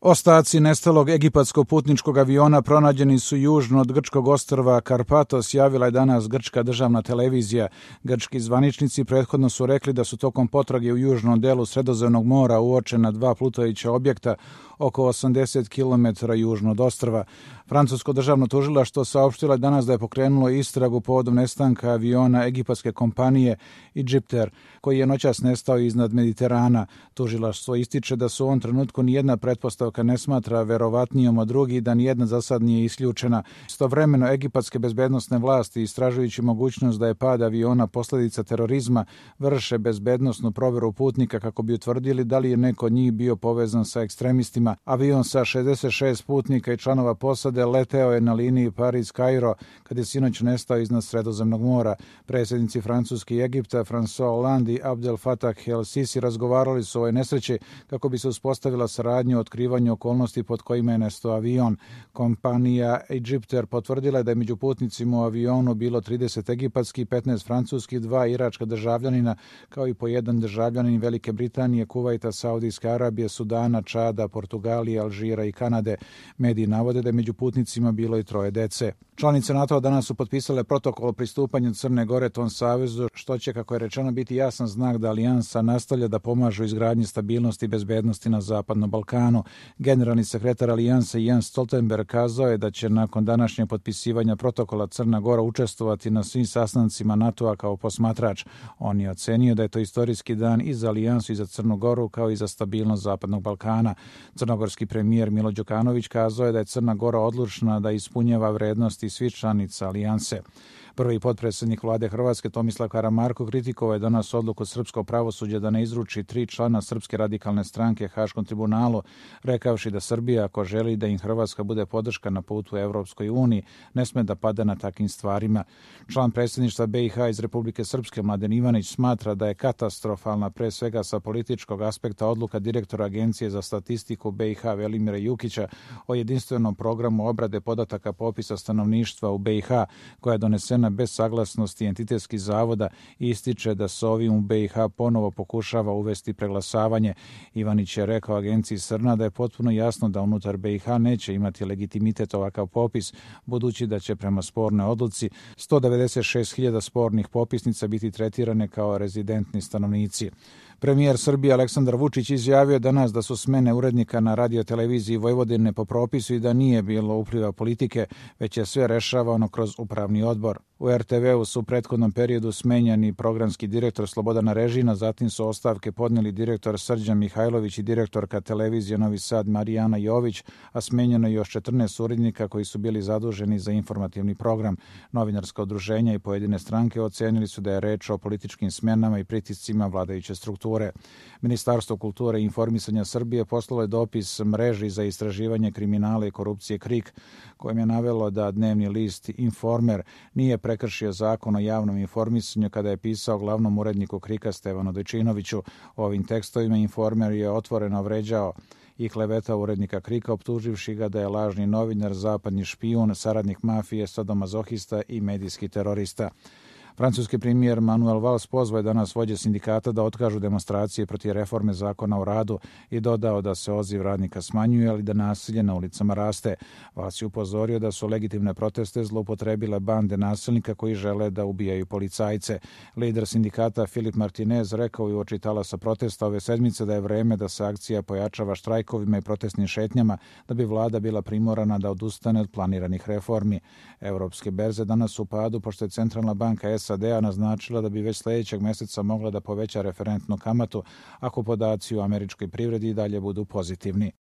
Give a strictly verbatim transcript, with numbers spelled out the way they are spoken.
Ostaci nestalog egipatskog putničkog aviona pronađeni su južno od grčkog ostrva Karpatos, javila je danas grčka državna televizija. Grčki zvaničnici prethodno su rekli da su tokom potrage u južnom delu Sredozemnog mora uočena dva plutajuća objekta oko osamdeset kilometara južno od ostrva. Francusko državno tužilaštvo saopštilo je danas da je pokrenulo istragu povodom nestanka aviona egipatske kompanije Egypter, koji je noćas nestao iznad Mediterana. Tužilaštvo ističe da su u ovom trenutku nijedna pretpostavka ne smatra verovatnijom od drugih, da nijedna za sad nije isključena. Istovremeno, egipatske bezbednosne vlasti, istražujući mogućnost da je pad aviona posljedica terorizma, vrše bezbednosnu proveru putnika kako bi utvrdili da li je neko od njih bio povezan sa ekstremistima. Avion sa šezdeset šest putnika i članova posade leteo je na liniji Pariz-Kairo kad je sinoć nestao iznad Sredozemnog mora. Predsjednici Francuske i Egipta François Hollande i Abdel Fattah el-Sisi razgovarali su o ovoj nesreći kako bi se uspostavila saradnja u otkrivanju okolnosti pod kojima je nestao avion. Kompanija Egypter potvrdila je da je među putnicima u avionu bilo trideset egipatskih, petnaest francuskih, dva iračka državljanina, kao i po jedan državljanin Velike Britanije, Kuvajta, Saudijske Arabije, Sudana, Čada, Portugalije, Alžira i Kanade. Mediji navode da je među putnicima bilo i troje dece. Članice NATO danas su potpisale protokol o pristupanju Crne Gore tom savezu, što će, kako je rečeno, biti jasan znak da alijansa nastavlja da pomaže u izgradnji stabilnosti i bezbednosti na Zapadnom Balkanu. Generalni sekretar alijanse Jens Stoltenberg kazao je da će nakon današnjeg potpisivanja protokola Crna Gora učestvovati na svim sastancima NATO-a kao posmatrač. On je ocenio da je to istorijski dan i za alijansu i za Crnu Goru, kao i za stabilnost Zapadnog Balkana. Crnogorski premijer Milo Đukanović kazao je da je Crna Gora odlučna da ispunjava vrednosti svih članica alijanse. Prvi potpredsjednik vlade Hrvatske Tomislav Karamarko kritikovao je danas odluku srpskog pravosuđa da ne izruči tri člana Srpske radikalne stranke Haškom tribunalu, rekavši da Srbija, ako želi da im Hrvatska bude podrška na putu Evropskoj uniji, ne sme da pada na takvim stvarima. Član predsjedništva B i H iz Republike Srpske Mladen Ivanić smatra da je katastrofalna, pre svega sa političkog aspekta, odluka direktora Agencije za statistiku B i H Velimira Jukića o jedinstvenom programu obrade podataka popisa stanovništva u B i H, koja je donesena bez saglasnosti entitetskih zavoda, i ističe da se ovim u B i H ponovo pokušava uvesti preglasavanje. Ivanić je rekao agenciji Srna da je potpuno jasno da unutar B i H neće imati legitimitet ovakav popis, budući da će prema spornoj odluci sto devedeset šest hiljada spornih popisnica biti tretirane kao rezidentni stanovnici. Premijer Srbije Aleksandar Vučić izjavio danas da su smene urednika na radioteleviziji Vojvodine po propisu i da nije bilo upliva politike, već je sve rešavano kroz upravni odbor. U er te veu su u prethodnom periodu smenjani programski direktor Slobodana Režina, zatim su ostavke podneli direktor Srđan Mihajlović i direktorka televizije Novi Sad Marijana Jović, a smenjeno je još četrnaest urednika koji su bili zaduženi za informativni program. Novinarska udruženja i pojedine stranke ocenili su da je reč o političkim smenama i pritiscima vladajuće strukture. Ministarstvo kulture i informisanja Srbije poslalo je dopis mreži za istraživanje kriminala i korupcije KRIK, kojim je navelo da dnevni list Informer nije prekršio zakon o javnom informisanju kada je pisao glavnom uredniku KRIK-a Stevanu Dojčinoviću. Ovim tekstovima Informer je otvoreno vređao i klevetao urednika KRIK-a, optuživši ga da je lažni novinar, zapadni špijun, saradnik mafije, sadomazohista i medijski terorista. Francuski premijer Manuel Valls pozvao je danas vođe sindikata da otkažu demonstracije protiv reforme zakona o radu i dodao da se odziv radnika smanjuje, ali da nasilje na ulicama raste. Valls je upozorio da su legitimne proteste zloupotrebile bande nasilnika koji žele da ubijaju policajce. Lider sindikata Filip Martinez rekao je uoči talasa protesta ove sedmice da je vreme da se akcija pojačava štrajkovima i protestnim šetnjama, da bi vlada bila primorana da odustane od planiranih reformi. Evropske berze danas su u padu, pošto je Centralna banka S A D-a naznačila da bi već sljedećeg mjeseca mogla da poveća referentnu kamatu ako podaci u američkoj privredi i dalje budu pozitivni.